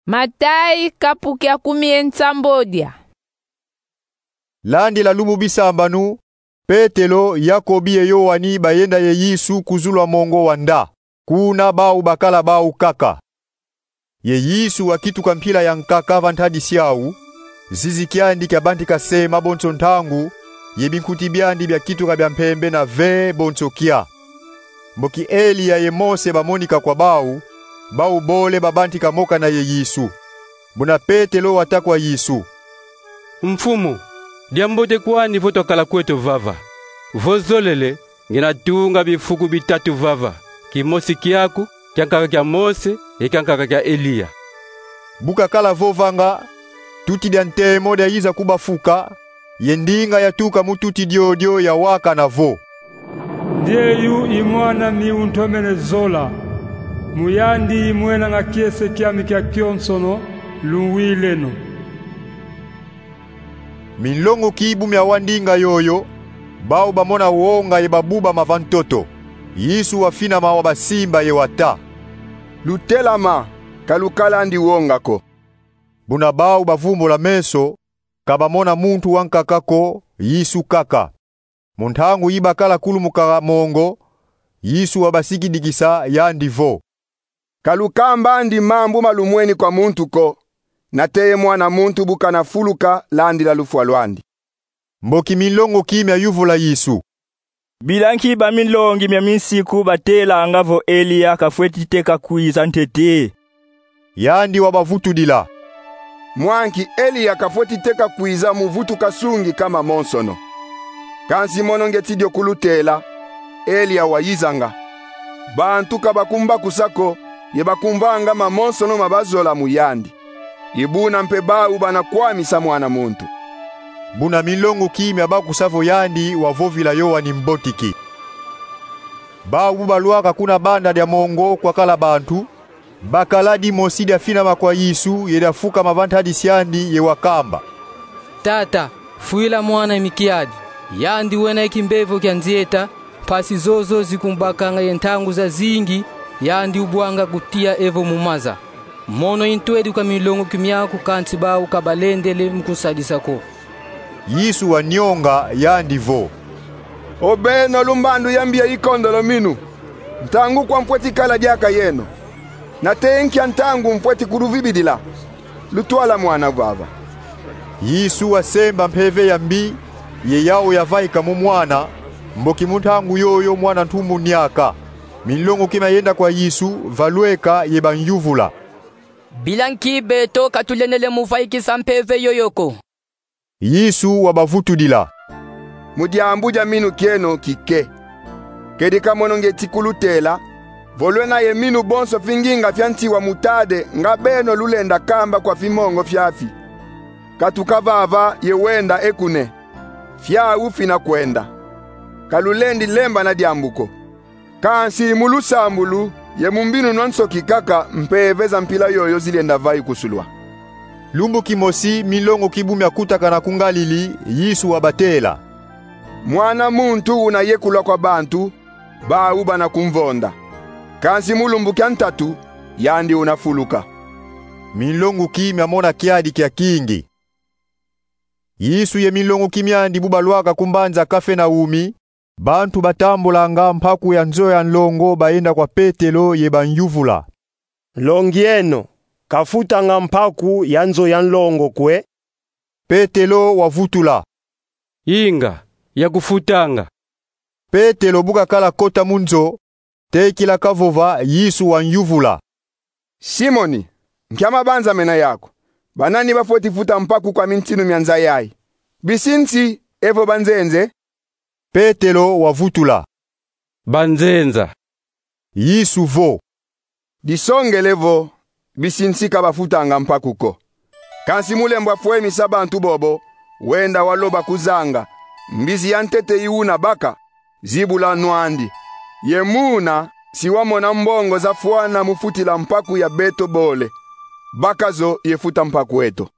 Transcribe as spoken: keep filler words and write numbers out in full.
Matayi, kapu kia kumi ye nsambodia. Landila lumu bisambanu, Petelo, Yakobi ye Yowani bayenda ye Yesu ku zulu a mongo wa nda, kuna bau bakala bau kaka. Ye Yesu wakituka mpila ya nkaka va ntadisi au, zizi kiandi kiabantika sema bonso ntangu, ye binkuti biandi biakituka bia mpembe na ve bonso kia. Mboki Eliya ye Mose bamonika kwa bau, bau bole babantika mokana ye Yesu. Buna Petelo wata kwa Yesu: Mfumu, diambote kwani vo twakala kweto vava. Vo zolele, ngienda tunga bifuku bitatu vava: kimosi kiaku, kiankaka kia Mose, ye kiankaka kia Eliya. Bu kakala vovanga, tuti dia ntemo diayiza ku bafuka, ye ndinga yatuka mu tuti diodio yawakana vo: Ndieyu i Mwan'ami untomene zola, mu yandi imwenanga kiese kiami kiakionsono, lunwileno. Minlongoki bu miawa ndinga yoyo, bau bamona wonga ye babubama va ntoto. Yesu wafinama, wabasimba ye wata: Lutelama, ka lukalandi wonga ko. Buna bau bavumbula meso, ka bamona muntu wankaka ko, Yesu kaka. Mu ntangu yi bakala kulumuka mongo, Yesu wabasikidikisa, yandi vo: Ka lukambandi mambu ma lumweni kwa muntu ko, nate ye Mwana muntu bu kana fuluka landila lufwa lwandi. Mboki minlongoki miayuvula Yesu: Bila nki baminlongi mia minsiku batelanga vo Eliya kafweti teka kwiza ntete? Yandi wabavutudila: Mwa nki Eliya kafweti teka kwiza mu vutuka sungi ka mamonsono. Kansi mono ngieti dio kulutela, Eliya wayizanga. Bantu ka bakumbakusa ko, ye bakumvanga mamonsono ma bazola mu yandi. I buna mpe bau bana kwamisa Mwana muntu. Buna minlongoki miabakusa vo yandi wavovila Yowani Mbotiki. Bau bu balwaka kuna banda dia mongo kwakala bantu, bakala dimosi diafinama kwa Yesu ye diafukama va ntadisi andi ye wakamba: Tata, fwila mwan'ami kiadi. Yandi wena ye kimbevo kia nzieta, mpasi zozo zikumbakanga ye ntangu zazingi, yandi ubwanga kutia evo mu maza. Mono i ntwedi kwa minlongoki miaku, kansi bau ka balendele mu kunsadisa ko. Yesu wanionga, yandi vo: O beno lumbandu ya mbi ya ikondolo minu, ntangu kwa mfweti kala diaka yeno? Nate nkia ntangu mfweti kuluvibidila? Lutwala mwana vava. Yesu wasemba mpeve ya mbi, ye yau yavaika mu mwana, mboki mu ntangu yoyo mwana ntumbu niaka. Minlongoki miayenda kwa Yesu, valweka ye banyuvula: Bila nki beto ka tulendele mu vaikisa mpeve yoyo ko? Yesu wabavutudila: Mu diambu dia minu kieno kike. Kedika mono ngieti kulutela, vo lwena ye minu bonso finginga fia nsi wa mutade nga beno lulenda kamba kwa fimongo fiafi: Katuka vava ye wenda e kune, fiau fina kwenda. Ka lulendi lembana diambu ko. Kansi mu lusambulu ye mu mbinunu a nsoki kaka mpeve za mpila yoyo zilenda vaikusulwa. Lumbu kimosi minlongoki bu miakutakana ku Ngalili, Yesu wabatela: Mwana muntu una yekulwa kwa bantu, bau bana kumvonda. Kansi mu lumbu kia ntatu, yandi una fuluka. Minlongoki miamona kiadi kia kingi. Yesu ye minlongoki miandi bu balwaka ku mbanza Kafenaumi, bantu batambulanga mpaku ya nzo ya nlongo bayenda kwa Petelo ye banyuvula: Nlongi eno, kafutanga mpaku ya nzo ya nlongo kwe? Petelo wavutula: Inga, yakufutanga. Petelo bu kakala kota mu nzo, tekila kavova, Yesu wanyuvula: Simoni, nkia mabanza mena yaku? Banani bafweti futa mpaku kwa mintinu mia nza yayi? Bisi nsi evo banzenze? Petelo wavutula: Banzenza. Yesu vo: Disongele vo, bisi nsi ka bafutanga mpaku ko. Kansi mu lembo a fwemisa bantu bobo, wenda waloba ku zanga: Mbizi ya ntete i una baka, zibula nwandi. Ye muna si wamona mbongo zafwana mu futila mpaku ya beto bole. Baka zo ye futa mpaku eto.